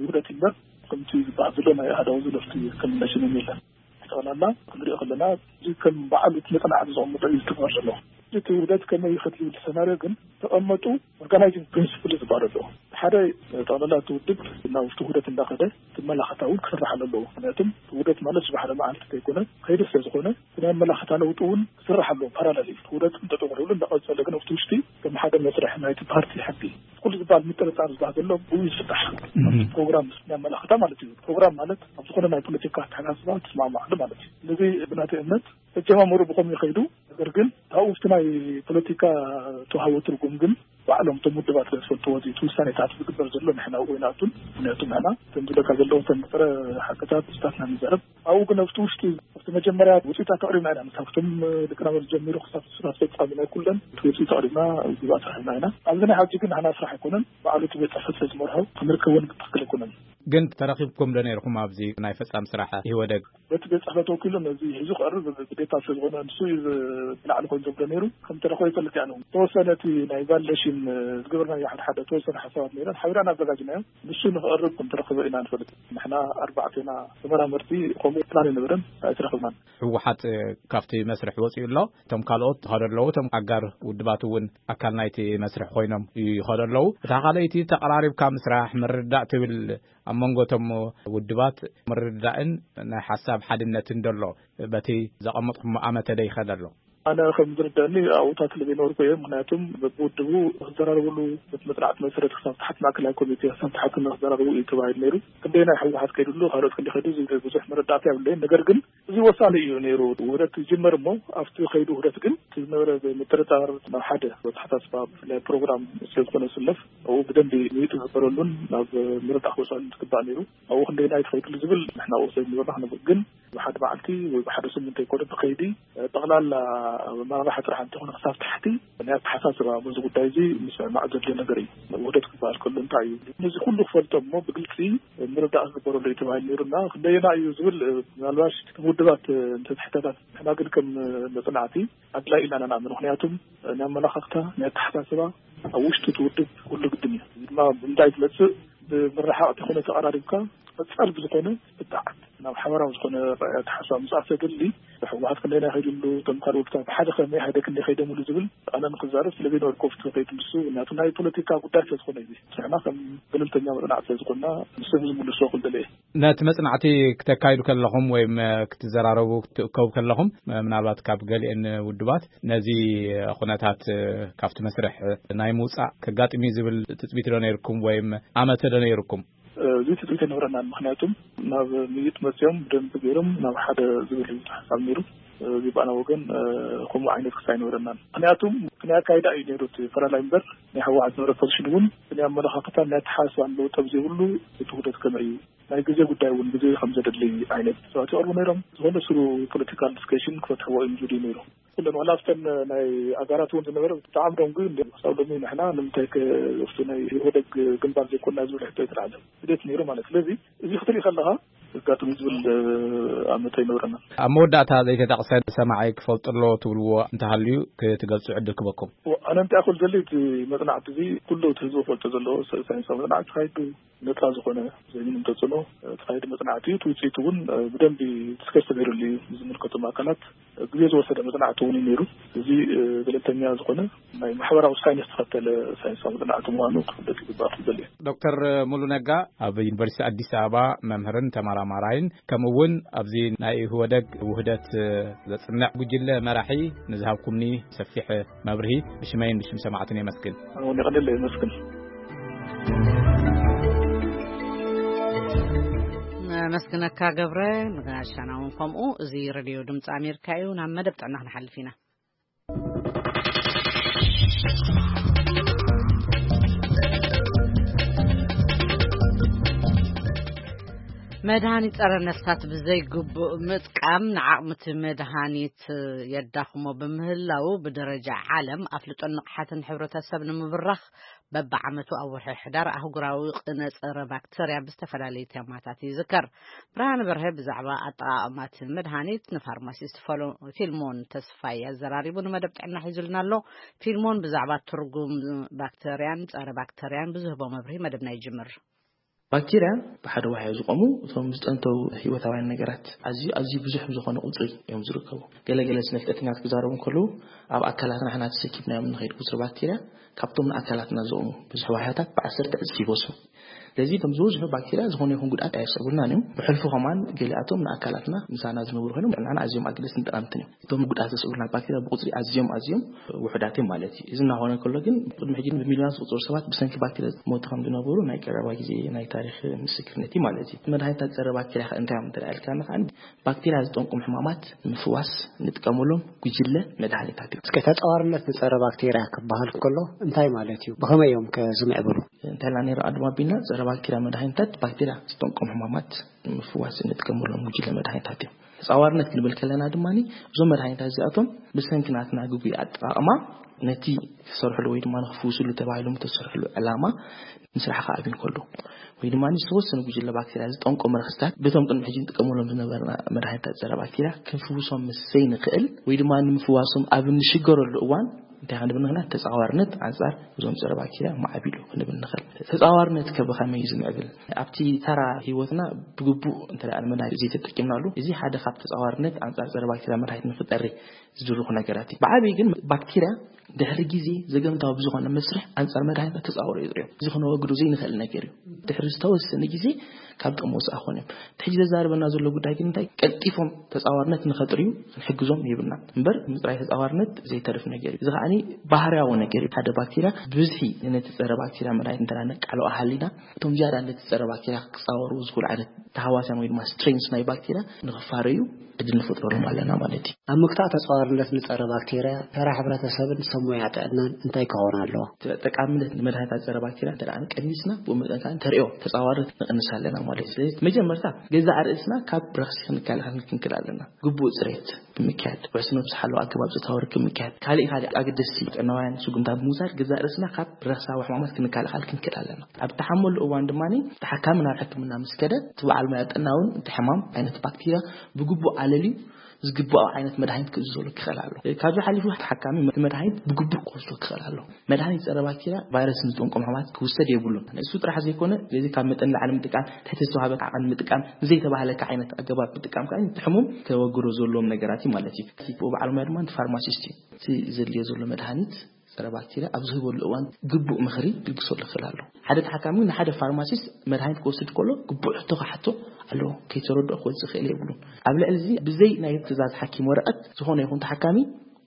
ውህደት እዩ እምበር ከምቲ ዝበሃል ዘሎ ናይ ኣሃዳዊ ዘሎ ኣብቲ ከም መሽን የለን። ጠቕላላ ክንሪኦ ከለና እዚ ከም በዓል እቲ መፅናዕቲ ዘቐመጦ እዩ ዝትግበር ዘሎ። እቲ ውህደት ከመይ ይኸድ ዝብል ሰናርዮ ግን ተቐመጡ ኦርጋናይዚንግ ፕሪንሲፕል ዝበሃል ኣሎ። ሓደ ጠቕላላ እቲ ውድብ ናብ ውሽጢ ውህደት እንዳኸደ እቲ መላኸታ እውን ክስራሕ ኣለዎ። ምክንያቱም ውህደት ማለት ዝባሕረ መዓልቲ ከይኮነ ከይዲ ስለ ዝኾነ ናይ መላኸታ ለውጢ እውን ክስራሕ ኣለዎ። ፓራላል እዩ። ውህደት እንተጠቕልሉ እንዳቐፀለ ግን ኣብቲ ውሽጢ ከም ሓደ መስርሕ ናይቲ ፓርቲ ሕጊ ኩሉ ዝበሃል ምጥርጣር ዝበሃል ዘሎ ብኡ ይፍታሕ። ፕሮግራም ናይ መላኸታ ማለት እዩ። ፕሮግራም ማለት ኣብ ዝኾነ ናይ ፖለቲካ ኣተሓሳስባ ትስማማዕሉ ማለት እዩ። ስለዚ ብናተይ እምነት ተጀማምሩ ብኸም ይኸይዱ። ነገር ግን ካብኡ ውሽጢ ናይ ፖለቲካ ተዋህቦ ትርጉም ግን ባዕሎም እቶም ውድባት ስለ ዝፈልጥዎ እዚ እቲ ውሳኔታት ዝግበር ዘሎ ንሕና ኣብኡ ይንኣቱን። ምክንያቱ ንሕና እቶም ዝብለካ ዘለዉ እቶም ጥረ ሓቅታት ስታትና ንዛረብ። ኣብኡ ግን ኣብቲ ውሽጢ ኣብቲ መጀመርያ ውፅኢታት ኣቕሪብና ኢና። ምስ ካብቶም ሊቀናበር ጀሚሩ ክሳብ ስራ ኣስፈፃሚ ናይ ኩለን እቲ ውፅኢት ኣቕሪብና ግብኣት ረኺብና ኢና። ኣብዚ ናይ ሓጂ ግን ንሕና ስራሕ ኣይኮነን። ባዕሉ እቲ ቤት ፅሕፈት ስለ ዝመርሖ ክንርከቦ ንግበር ኣይኮነን። ግን ተረኺብኩም ዶ ነይርኩም ኣብዚ ናይ ፈፃሚ ስራሕ ኢህወደግ? በቲ ቤት ፅሕፈት ወኪሉ ነዚ ሒዙ ክቐርብ ግዴታ ስለ ዝኾነ ንሱ እዩ ዝላዕሊ ኮይኑ ዘብሎ ነይሩ። ከም ተረኸበ ይፈልጥ እያ ነው ተወሰነ እቲ ናይ ቫሊዴሽን ዝገበርናዮ ሓደ ሓደ ተወሰነ ሓሳባት ነይረን ሓቢራን ኣዘጋጅናዮ። ንሱ ንክቐርብ ከም ተረኸበ ኢና ንፈልጥ። ንሕና ኣርባዕቴና ተመራመርቲ ከምኡ ፕላን የነበረን ኣይተረኸብናን። ህወሓት ካብቲ መስርሕ ወፂኡ ኣሎ። እቶም ካልኦት ይኸዱ ኣለዉ። እቶም ኣጋር ውድባት እውን ኣካል ናይቲ መስርሕ ኮይኖም ይኸዱ ኣለዉ። እታ ካልኣይቲ ተቐራሪብካ ምስራሕ ምርዳእ ትብል ኣብ መንጎ እቶም ውድባት ምርድዳእን ናይ ሓሳብ ሓድነትን ደሎ በቲ ዘቐመጥኩሞ ኣመተ ዶ ይኸድ ኣሎ? ኣነ ከም ዝርዳእኒ ኣብኡታት ለበይነበርኩ እየ። ምክንያቱም በብውድቡ ክዘራረብሉ በቲ መፅናዕቲ መሰረት ክሳብ ታሕቲ ማእከላይ ኮሚቴ ክሳብ ታሕቲ ንክዘራረቡ እዩ ተባሂሉ ነይሩ። ክንደይ ናይ ህወሓት ከይድሉ ካልኦት ክንዲ ከይዱ ዝብል ብዙሕ መረዳእታ የብለይን። ነገር ግን እዚ ወሳኒ እዩ ነይሩ። ውህደት ይጅመር እሞ ኣብቲ ከይዱ ውህደት ግን እቲ ዝነበረ ምጥርጣር ናብ ሓደ ኣተሓሳስባ ብፍላይ ፕሮግራም ስለዝኾነ ዝስለፍ ኣብኡ ብደንቢ ውይጥ ዝበረሉን ናብ ምርዳእ ክወስኣሉ ዝግባእ ነይሩ። ኣብኡ ክንደይና እዩ ተኸይድሉ ዝብል ንሕና ኣብኡ ሰብ ንበርና ክነብር ግን ብሓደ መዓልቲ ወይ ብሓደ ስምንት ኣይኮነ ብከይዲ ጠቕላላ መራርሓ ጥራሕ እንተኾነ ክሳብ ታሕቲ ናይ ኣተሓሳስባ በዚ ጉዳይ እዚ ምስምማዕ ዘድልዮ ነገር እዩ። ውህደት ክበሃል ከሎ እንታይ እዩ? ነዚ ኩሉ ክፈልጦ እሞ ብግልፂ ምርዳእ ክግበረሉ እዩ ተባሂሉ ነይሩና። ክንደየና እዩ ዝብል ምናልባሽ ውድባት እንተትሕተታት ንሕና ግን ከም መፅናዕቲ ኣድላይ ኢልና ንኣምን። ምክንያቱም ናይ ኣመላኻኽታ ናይ ኣተሓሳስባ ኣብ ውሽጢ እቲ ውድብ ኩሉ ግድን እዩ። እዚ ድማ ብምንታይ ትመፅእ? ብምርሓቕ ተኾነ ተቐራሪብካ ቀፃል ብዝኾነ ብጣዕት ናብ ሓበራዊ ዝኾነ ኣተሓሳስባ ምፅኣት ዘድሊ ህወሓት ክንደይ ናይ ከይድሉ እቶም ካልኦት ብሓደ ከመይ ሓደ ክንደይ ከይደምሉ ዝብል ኣነ ንክዛረብ ስለ ዘይነበርኩ ኣብቲ ከይዱ ንሱ ምክንያቱ ናይ ፖለቲካ ጉዳይ ስለ ዝኾነ እዩ። ንሕና ከም ገለልተኛ መፅናዕቲ ስለ ዝኾንና ንሱ ዝምልሶ ክልደለ እየ። ነቲ መፅናዕቲ ክተካይዱ ከለኹም ወይም ክትዘራረቡ ክትእከቡ ከለኹም ምናልባት ካብ ገሊአን ውድባት ነዚ ኩነታት ካብቲ መስርሕ ናይ ምውፃእ ከጋጥም እዩ ዝብል ትፅቢት ዶ ነይርኩም ወይም ኣመተ ዶ ነይርኩም? እዚ ትፅቢት ኣይነበረናን። ምክንያቱም ናብ ምይጥ መፅኦም ብደንቢ ገይሮም ናብ ሓደ ዝብል እዩ ሓሳብ ነይሩ። እዚ ብኣና ወገን ከምኡ ዓይነት ክስ ኣይነበረናን። ምክንያቱም ክንያካይዳ እዩ ነይሩ እቲ ፈላላይ እምበር ናይ ህወሓት ዝነበረ ፖዚሽን እውን ናይ ኣመለኻኽታን ናይ ኣተሓሳስባን ለውጢ ኣብ ዘይብሉ እቲ ውህደት ከመይ እዩ ናይ ግዜ ጉዳይ እውን ግዜ ከም ዘደሊ ዓይነት ሰባት ይቐርቡ ነይሮም። ዝኾነ ስሩ ፖለቲካል ዲስከሽን ክፈትሕዎ እዮም ዝብል ነይሩ። ኩለን ዋላ ኣብተን ናይ ኣጋራት እውን ዝነበረ ብጣዕሚ ደንጉ እንደ ክሳብ ሎሚ ንሕና ንምንታይ ከ ኣብቲ ናይ ኢህወደግ ግንባር ዘይኮና ዝብል ሕቶ ይተላዕለ ስደት ነይሩ ማለት። ስለዚ እዚ ክትርኢ ከለኻ ዘጋጥም ዝብል ኣመት ኣይነበረና። ኣብ መወዳእታ ዘይተጠቕሰ ሰማዓይ ክፈልጡ ኣለዎ ትብልዎ እንተሃልዩ ክትገልጹ ዕድል ክበኩም። ኣነ እንታይ ክብል ዘለ እቲ መጽናዕቲ እዚ ኩሉ እቲ ህዝቢ ፈልጦ ዘለዎ ሳይንሳዊ መጽናዕቲ ተካይዱ ነፃ ዝኾነ ዘይምንም ተፅዕኖ ተኻይዱ መፅናዕቲ እዩ። እቲ ውፅኢት እውን ብደንቢ ዲስከስ ተገይሩሉ እዩ። ዝምልከቶም ኣካላት ግዜ ዝወሰደ መፅናዕቲ እውን እዩ ነይሩ። እዚ ገለልተኛ ዝኾነ ናይ ማሕበራዊ ሳይንስ ዝተኸተለ ሳይንሳዊ መፅናዕቲ ምዃኑ ክፍለጥ ይግባእ ክብል እየ። ዶክተር ሙሉ ነጋ ኣብ ዩኒቨርሲቲ ኣዲስ ኣበባ መምህርን ተመራማርን ኣማራይን፣ ከምኡ እውን ኣብዚ ናይ ኢህወደግ ውህደት ዘጽንዕ ጉጅለ መራሒ ንዝሃብኩምኒ ሰፊሕ መብርሂ ብሽመይን ብሽም ሰማዕትን የመስግን። ወዲ ቀደለ ይመስግን። ነመስግነካ ገብረ፣ ንጋሻና እውን ከምኡ። እዚ ሬድዮ ድምፂ ኣሜሪካ እዩ። ናብ መደብ ጥዕና ክንሓልፍ ኢና። መድሃኒት ጸረ ነፍሳት ብዘይግቡእ ምጥቃም ንዓቕምቲ መድሃኒት የዳኽሞ ብምህላው፣ ብደረጃ ዓለም ኣፍልጦን ንቕሓትን ሕብረተሰብ ንምብራኽ በብዓመቱ ኣብ ወርሒ ሕዳር ኣህጉራዊ ቅነ ጸረ ባክተርያ ብዝተፈላለዩ ቴማታት ይዝከር። ብርሃን በርሀ ብዛዕባ ኣጠቓቕማቲ መድሃኒት ንፋርማሲስት ፈሎ-፣ ፊልሞን ተስፋይ ኣዘራሪቡ ንመደብ ጥዕና ሒዙልና ኣሎ። ፊልሞን ብዛዕባ ትርጉም ባክተርያን ጸረ ባክተርያን ብዝህቦ መብርሂ መደብና ይጅምር። ባክቴርያ ብሓደ ዋሕዮ ዝቆሙ እቶም ዝጠንተው ህይወታውያን ነገራት ኣዝዩ ኣዝዩ ብዙሕ ብዝኾነ ቁፅሪ እዮም ዝርከቡ። ገለገለ ስነ ፍልጠተኛታት ክዛረቡ እንከለዉ ኣብ ኣካላትና ሕና ተሰኪብናዮም ንኸይድ ቁፅሪ ባክቴርያ ካብቶም ንኣካላትና ዝቆሙ ብዙሕ ዋሕዮታት ብዓሰርተ ዕፅፊ ይበሱ። ስለዚ እቶም ዝበዝሑ ባክቴርያ ዝኾነ ይኹን ጉድኣት ኣየስዕቡልናን እዮም። ብሕልፉ ከማን ገሊኣቶም ንኣካላትና ምሳና ዝነብሩ ኮይኖም ንዓና ኣዝዮም ኣገደስትን ጠቓምትን እዮም። እቶም ጉድኣት ዘስዕቡልና ባክቴርያ ብቁፅሪ ኣዝዮም ኣዝዮም ውሑዳት እዮም ማለት እዩ። እዚ እናኾነ ከሎ ግን ቅድሚ ሕጂ ብሚልዮናት ዝቁፅሩ ሰባት ብሰንኪ ባክቴርያ ዝሞቱ ከም ዝነበሩ ናይ ቀረባ ግዜ ናይ ታሪክ ምስክርነት እዩ ማለት እዩ። መድሃኒታት ፀረ ባክቴርያ ከ እንታይ እዮም እንተ ኢልካና ከኣ ባክቴርያ ዝጠንቁም ሕማማት ንምፍዋስ ንጥቀመሎም ጉጅለ መድሃኒታት እዮም። እስከ ተፃዋርነት ንፀረ ባክቴርያ ክበሃል ከሎ እንታይ ማለት እዩ? ብኸመይ እዮም ከ ዝምዕብሉ? እንታይ ኢልና ነይሩ ኣድማ ኣቢልና ፀረ ባክቴርያ መድሃኒታት ባክቴርያ ዝጠንቆም ሕማማት ንምፍዋስ እንጥቀመሎም ጉጅለ መድሃኒታት እዮም። ተፃዋርነት ክንብል ከለና ድማ እዞም መድሃኒታት እዚኣቶም ብሰንኪ ናትና ግጉይ ኣጠቓቕማ ነቲ ክሰርሕሉ ወይ ድማ ንክፍውስሉ ተባሂሎም ተሰርሕሉ ዕላማ ምስራሕ ክኣብዩ እንከሎ ወይ ድማ ዝተወሰነ ጉጅለ ባክቴርያ ዝጠንቆ መርክስታት ብቶም ቅድሚ ሕጂ ንጥቀመሎም ዝነበርና መድሃኒታት ፀረ ባክቴርያ ክንፍውሶም ምስ ዘይንኽእል ወይ ድማ ንምፍዋሶም ኣብ እንሽገረሉ እዋን እንታይ ክንብል ንኽእል? ተፃዋርነት ኣንፃር እዞም ፀረ ባክቴርያ ማዕቢሉ ክንብል ንኽእል። ተፃዋርነት ከ ብኸመይ እዩ ዝምዕብል? ኣብቲ ተራ ህይወትና ብግቡእ እንተ ደኣ ንመድሃኒት ዘይተጠቂምናሉ፣ እዚ ሓደ ካብ ተፃዋርነት ኣንፃር ፀረ ባክቴርያ መድሃኒት ንክጠሪ ዝድርኹ ነገራት እዩ። ብዓብዪ ግን ባክቴርያ ድሕሪ ግዜ ዘገምታዊ ብዝኾነ መስርሕ ኣንፃር መድሃኒት ተፃወሩ እዮም። እዚ ክነወግዶ ዘይንኽእል ነገር እዩ። ድሕሪ ዝተወሰነ ግዜ ካብ ጥቕሚ ወፃኢ ክኾኑ እዮም። እቲ ሕጂ ዘዛርበና ዘሎ ጉዳይ ግን እንታይ? ቀልጢፎም ተፃዋርነት ንኸጥርዩ ክንሕግዞም የብልናን። እምበር ምፅራይ ተፃዋርነት ዘይተርፍ ነገር እዩ። እዚ ከዓኒ ባህርያዊ ነገር እዩ። ሓደ ባክቴርያ ብብዝሒ ነቲ ፀረ ባክቴርያ መድሃኒት እንተ ነቃልዖ ሃሊና፣ እቶም ዝያዳ ነቲ ፀረ ባክቴርያ ክፃወሩ ዝኽእሉ ዓይነት ተሃዋስያን ወይ ድማ ስትሬንስ ናይ ባክቴርያ ንኽፋረዩ ዕድል ንፈጥረሎም ኣለና ማለት እዩ። ኣብ ምክታዕ ተፃዋርነት ንፀረ ባክቴርያ ተራ ሕብረተሰብን ሰብ ሞያ ጥዕናን እንታይ ክኸውን ኣለዎ? ጠቃምነት ንመድሃኒታት ፀረ ባክቴርያ እንተ ደኣ ቀኒስና፣ ብኡ መጠን ከዓ ተርእዮ ተፃዋርነት ንቕንስ ኣለና ማለት እዩ። ስለዚ መጀመርታ ገዛእ ርእስና ካብ ረኽሲ ክንከላኸል ክንክእል ኣለና። ግቡእ ፅሬት ብምክያድ፣ ውሕስነቱ ዝሓለወ ኣገባብ ፆታዊ ርክብ ምክያድ፣ ካሊእ ካሊእ ኣገደስቲ ጥዕናውያን ስጉምታት ብምውሳድ ገዛእ ርእስና ካብ ረኽሳዊ ሕማማት ክንከላኸል ክንክእል ኣለና። ኣብ እተሓመሉ እዋን ድማ ተሓካሚ ናብ ሕክምና ምስ ከደ፣ እቲ በዓል ሞያ ጥዕና እውን እቲ ሕማም ዓይነት ባክቴርያ ብግቡእ ኣለልዩ ዝግባኦ ዓይነት መድሃኒት ክእዝዘሉ ክኽእል ኣሎ። ካብዚ ሓሊፉ ተሓካሚ እቲ መድሃኒት ብግቡእ ክወስዶ ክኽእል ኣሎ። መድሃኒት ፀረ ባክቴርያ ቫይረስ ንዝጠንቆም ሕማማት ክውሰድ የብሉን። ንሱ ጥራሕ ዘይኮነ፣ ስለዚ ካብ መጠን ንላዕሊ ምጥቃም፣ ትሕቲ ዝተዋህበ ዓቐን ምጥቃም፣ ንዘይተባህለካ ዓይነት ኣገባብ ምጥቃም ከዓ እቲ ሕሙም ከወግዶ ዘለዎም ነገራት እዩ ማለት እዩ። እቲ በዓል ሞያ ድማ እቲ ፋርማሲስት እዩ። እቲ ዘድልዮ ዘሎ መድሃኒት ፀረ ባክቴርያ ኣብ ዝህበሉ እዋን ግቡእ ምኽሪ ክልግሰሉ ይኽእል ኣሎ። ሓደ ተሓካሚ ንሓደ ፋርማሲስት መድሃኒት ክወስድ ከሎ ግቡእ ሕቶ ክሓቶ ኣለዎ። ከይተረድኦ ክወፅእ ክእል የብሉን። ኣብ ልዕሊ እዚ ብዘይ ናይ ትእዛዝ ሓኪም ወረቐት ዝኾነ ይኹን ተሓካሚ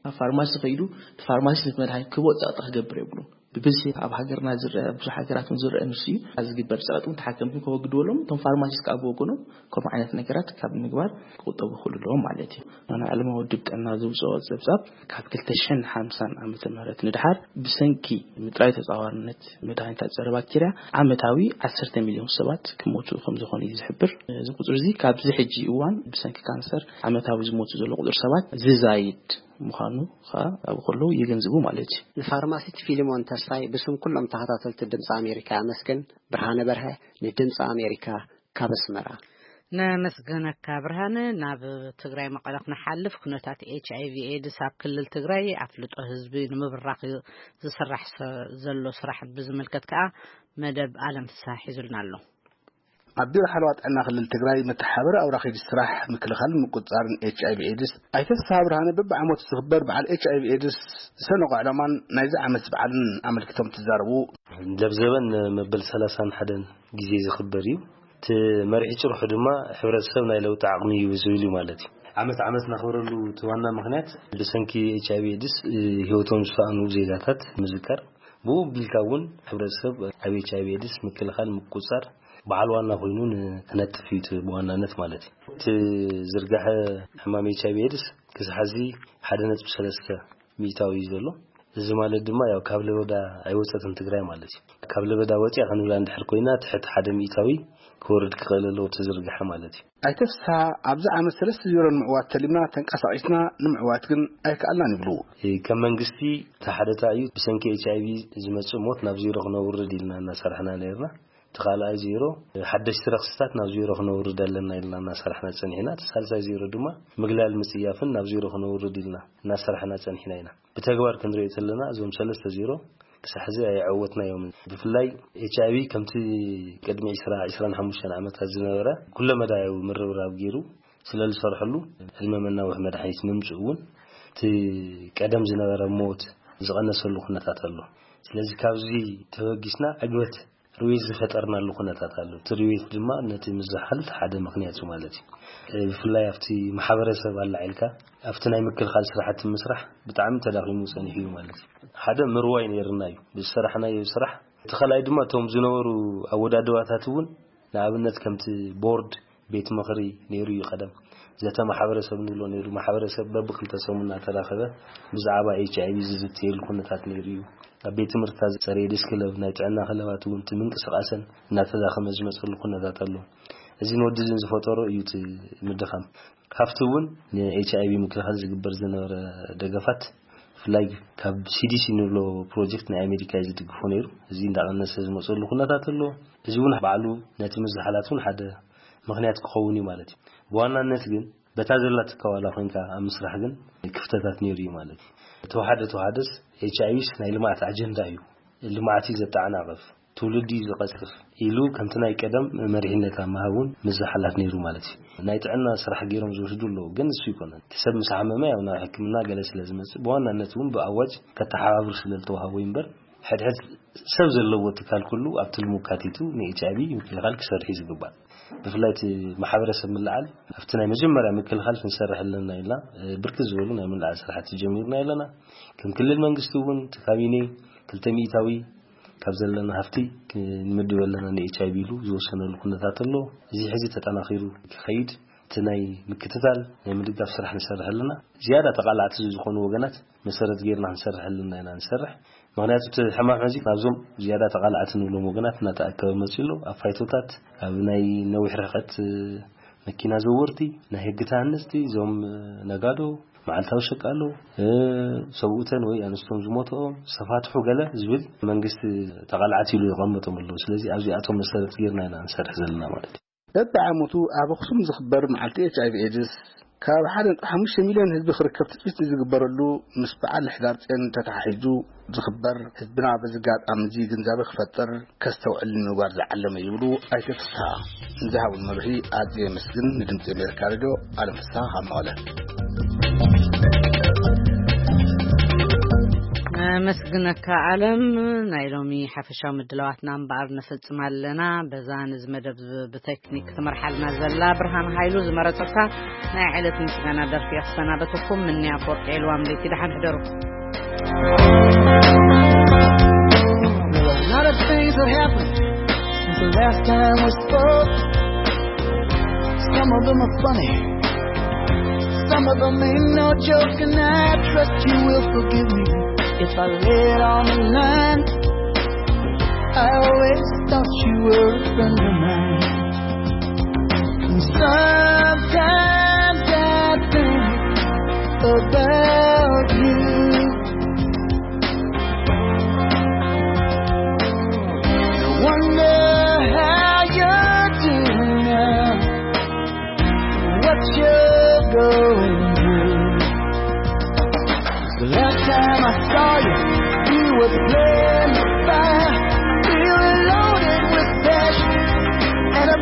ኣብ ፋርማሲ ከይዱ እቲ ፋርማሲስት ነቲ መድሃኒት ክህቦ ፀቕጢ ክገብር የብሉን። ብብዝሒ ኣብ ሃገርና ዝረአ፣ ብዙሕ ሃገራት እውን ዝረአ ንሱ እዩ። ኣብ ዝግበር ፀቕጢ እውን ተሓከምቲ ከወግድዎ ኣለዎም። እቶም ፋርማሲስት ከዓ ብወገኖም ከምኡ ዓይነት ነገራት ካብ ምግባር ክቁጠቡ ይኽእሉ ኣለዎም ማለት እዩ። ናይ ዓለማዊ ውድብ ጥዕና ዘውፅኦ ፀብፃብ ካብ ክልተ ሽሕን ሓምሳን ዓመተ ምህረት ንድሓር ብሰንኪ ምጥራይ ተፃዋርነት መድሃኒታት ፀረ ባክቴርያ ዓመታዊ ዓሰርተ ሚልዮን ሰባት ክሞቱ ከም ዝኾኑ እዩ ዝሕብር። እዚ ቁፅሪ እዚ ካብዚ ሕጂ እዋን ብሰንኪ ካንሰር ዓመታዊ ዝሞቱ ዘሎ ቁፅሪ ሰባት ዝዛይድ ምዃኑ ከዓ ኣብኡ ከለዉ የገንዝቡ ማለት እዩ። ንፋርማሲስት ፊሊሞን ተስፋይ ብስም ኩሎም ተኸታተልቲ ድምፂ ኣሜሪካ ኣመስግን። ብርሃነ በርሀ ንድምፂ ኣሜሪካ ካብ ኣስመራ። ነመስግነካ ብርሃነ። ናብ ትግራይ መቐለ ክንሓልፍ፣ ኩነታት ኤች ኣይ ቪ ኤድስ ኣብ ክልል ትግራይ ኣፍልጦ ህዝቢ ንምብራኽ ዝስራሕ ሰ-፣ ዘሎ ስራሕ ብዝምልከት ከኣ መደብ ኣለም ፍስሃ ሒዙልና ኣሎ። ኣብ ቢሮ ሓለዋ ጥዕና ክልል ትግራይ መተሓባበሪ ኣውራ ከይዲ ስራሕ ምክልኻልን ምቁፅፃርን ኤች ኣይ ቪ ኤድስ ኣይተ ፍስሃ ብርሃነ በብዓመቱ ዝኽበር በዓል ኤች ኣይ ቪ ኤድስ ዝሰነቖ ዕላማን ናይዚ ዓመት በዓልን ኣመልኪቶም ትዛረቡ። ለብዘበን መበል ሰላሳን ሓደን ግዜ ዝኽበር እዩ። እቲ መሪሕ ጭርሑ ድማ ሕብረተሰብ ናይ ለውጢ ዓቕሚ እዩ ዝብል እዩ ማለት እዩ። ዓመት ዓመት ነኽብረሉ እቲ ዋና ምኽንያት ብሰንኪ ኤች ኣይ ቪ ኤድስ ህይወቶም ዝሰኣኑ ዜጋታት ምዝካር፣ ብኡ ቢልካ እውን ሕብረተሰብ ኣብ ኤች ኣይ ቪ ኤድስ ምክልኻል ምቁፃር በዓል ዋና ኮይኑ ን- ክነጥፍ እዩ እቲ ብዋናነት ማለት እዩ። እቲ ዝርጋሐ ሕማም ኤች ኣይ ቪ ኤድስ ክሳብ ሕዚ ሓደ ነጥቢ ሰለስተ ሚእታዊ እዩ ዘሎ። እዚ ማለት ድማ ያው ካብ ለበዳ ኣይወፀትን ትግራይ ማለት እዩ። ካብ ለበዳ ወፂኣ ክንብላ እንድሕር ኮይና ትሕቲ ሓደ ሚእታዊ ክወርድ ክኽእል ኣለዎ እቲ ዝርጋሐ ማለት እዩ። ኣይተ ፍስሃ፣ ኣብዚ ዓመት ሰለስተ ዜሮ ንምዕዋት ተሊምና ተንቀሳቒስና ንምዕዋት ግን ኣይከኣልናን ይብሉ። እ፣ ከም መንግስቲ እቲ ሓደታ እዩ ብሰንኪ ኤች ኣይ ቪ ዝመፅእ ሞት ናብ ዜሮ ክነውርድ ኢልና እናሰራሕና ነርና። እቲ ካልኣይ ዜሮ ሓደሽቲ ረኽስታት ናብ ዜሮ ክነውርድ ኣለና ኢልና እናሰራሕና ፀኒሕና። እቲ ሳልሳይ ዜሮ ድማ ምግላል ምፅያፍን ናብ ዜሮ ክነውርድ ኢልና እናሰራሕና ፀኒሕና ኢና። ብተግባር ክንሪኦ ተለና እዞም ሰለስተ ዜሮ ክሳብ ሕዚ ኣይዐወትናዮምን። ብፍላይ ኤች ኣይ ቪ ከምቲ ቅድሚ ዕስራ ዕስራን ሓሙሽተን ዓመታት ዝነበረ ኩለመዳያዊ ምርብራብ ገይሩ ስለ ዝሰርሐሉ ዕድመ መናውሒ መድሓኒት ምምፅኡ እውን እቲ ቀደም ዝነበረ ሞት ዝቐነሰሉ ኩነታት ኣሎ። ስለዚ ካብዚ ተበጊስና ዕግበት ርዌት ዝፈጠርናሉ ኩነታት ኣሎ። እቲ ርዌት ድማ ነቲ ምዝሓል ሓደ ምኽንያት እዩ ማለት እዩ። ብፍላይ ኣብቲ ማሕበረሰብ ኣላዒልካ ኣብቲ ናይ ምክልኻል ስራሕቲ ምስራሕ ብጣዕሚ ተዳኺሙ ፀኒሑ እዩ ማለት እዩ። ሓደ ምርዋይ ነይርና እዩ ብዝሰራሕናዮ ስራሕ። እቲ ካልኣይ ድማ እቶም ዝነበሩ ኣወዳድባታት እውን ንኣብነት ከምቲ ቦርድ ቤት ምኽሪ ነይሩ እዩ ቀደም። ዘተ ማሕበረሰብ ንብሎ ነይሩ። ማሕበረሰብ በብክልተ ሰሙን እናተራኸበ ብዛዕባ ኤች ኣይ ቪ ዝዝትየሉ ኩነታት ነይሩ እዩ። ኣብ ቤት ትምህርትታት ዝፀረየ ዲስ ክለብ፣ ናይ ጥዕና ክለባት እውን እቲ ምንቅስቃሰን እናተዳኸመ ዝመፀሉ ኩነታት ኣሎ። እዚ ንወዲ ዝን ዝፈጠሮ እዩ እቲ ምድኻም። ካብቲ እውን ን ኤች ኣይ ቪ ምክልኻል ዝግበር ዝነበረ ደገፋት ብፍላይ ካብ ሲ ዲ ሲ ንብሎ ፕሮጀክት ናይ ኣሜሪካ እዩ ዝድግፎ ነይሩ። እዚ እንዳቐነሰ ዝመፀሉ ኩነታት ኣሎ። እዚ እውን ባዕሉ ነቲ ምዝሓላት እውን ሓደ ምኽንያት ክኸውን እዩ ማለት እዩ። ብዋናነት ግን በታ ዘላትካ ዋላ ኮይንካ ኣብ ምስራሕ ግን ክፍተታት ነይሩ እዩ ማለት እዩ። ተወሓደ ተወሓደስ ኤች ኣይ ቪስ ናይ ልምዓት ኣጀንዳ እዩ። ልምዓት እዩ ዘተዓናቕፍ፣ ትውልዲ እዩ ዝቐጽፍ ኢሉ ከምቲ ናይ ቀደም መሪሕነት ኣብ ምሃብ እውን ምዝሓላት ነይሩ ማለት እዩ። ናይ ጥዕና ስራሕ ገይሮም ዝወስዱ ኣለዉ፣ ግን እሱ ይኮነን። እቲ ሰብ ምስ ሓመመ ያው ናብ ሕክምና ገለ ስለ ዝመጽእ ብዋናነት እውን ብኣዋጅ ከተሓባብር ስለ ዝተዋሃቦ እዩ እምበር ሕድሕድ ሰብ ዘለዎ ትካል ኩሉ ኣብቲ ልሙካቲቱ ን ኤች ኣይ ቪ ምክልኻል ክሰርሕ እዩ ዝግባእ። ብፍላይ እቲ ማሕበረሰብ ምልዓል ኣብቲ ናይ መጀመርያ ምክልኻል ክንሰርሕ ኣለና ኢልና ብርክት ዝበሉ ናይ ምልዓል ስራሕቲ ጀሚርና ኣለና። ከም ክልል መንግስቲ እውን እቲ ካቢኔ ክልተ ሚእታዊ ካብ ዘለና ሃፍቲ ክንምድብ ኣለና ን ኤች ኣይ ቪ ኢሉ ዝወሰነሉ ኩነታት ኣሎ። እዚ ሕዚ ተጠናኺሩ ክኸይድ እቲ ናይ ምክትታል ናይ ምድጋፍ ስራሕ ንሰርሕ ኣለና። ዝያዳ ተቓላዕቲ ዝኾኑ ወገናት መሰረት ጌርና ክንሰርሕ ኣለና ኢና ንሰርሕ። ምኽንያቱ እቲ ሕማም ሕዚ ናብዞም ዝያዳ ተቓላዕቲ ንብሎም ወገናት እናተኣከበ መፂኡ ኣሎ። ኣብ ፋይቶታት፣ ኣብ ናይ ነዊሕ ርሕቀት መኪና ዘወርቲ፣ ናይ ህጊ ተሃነፅቲ፣ እዞም ነጋዶ፣ መዓልታዊ ሸቃሎ፣ ሰብኡተን ወይ ኣንስቶም ዝሞትኦም ዝተፋትሑ ገለ ዝብል መንግስቲ ተቓላዕቲ ኢሉ የቐመጦም ኣለዉ። ስለዚ ኣብዚኣቶም መሰረት ጌርና ኢና ንሰርሕ ዘለና ማለት እዩ። በብዓመቱ ኣብ ኣኽሱም ዝኽበር መዓልቲ ኤች ኣይ ቪ ኤድስ ካብ ሓደ ነጥቢ ሓሙሽተ ሚልዮን ህዝቢ ክርከብ ትጽቢት ዝግበረሉ ምስ በዓል ሕዳር ጽዮን ተተሓሒዙ ዝኽበር ህዝብና በዚ ኣጋጣሚ እዚ ግንዛበ ክፈጥር ከስተውዕል ንምግባር ዝዓለመ ይብሉ ኣይተ ፍስሃ። ንዝሃቡን መብርሂ ኣዝየ የመስግን። ንድምጺ ኣሜሪካ ሬድዮ ኣለም ፍስሃ ካብ መቐለ። ነመስግነካ ኣለም። ናይ ሎሚ ሓፈሻዊ ምድላዋትና እምበኣር ነፈጽም ኣለና። በዛ ነዚ መደብ ብቴክኒክ ክትመርሓልና ዘላ ብርሃን ሃይሉ ዝመረጸታ ናይ ዕለት ምስጋና ደርፊ እየ ክሰናበተኩም። ምንያ ኣፈወርቂ ዒልዋም ለይቲ ደሓን ሕደሩ። There are a lot of things that happened since the last time we spoke. Some of them are funny, some of them ain't no joke, and I trust you will forgive me if I lay it on the line. I always thought you were a friend of mine. And sometimes I think about you. I wonder how you're doing now, what you're going through. The last time I saw you, you were playing with fire. We were loaded with passion, and I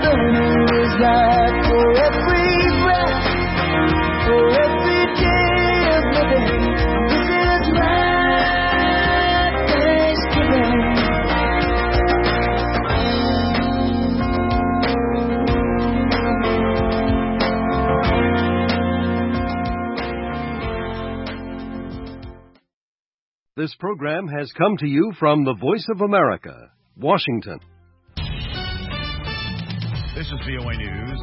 This program has come to you from the Voice of America, Washington. This is V O A News.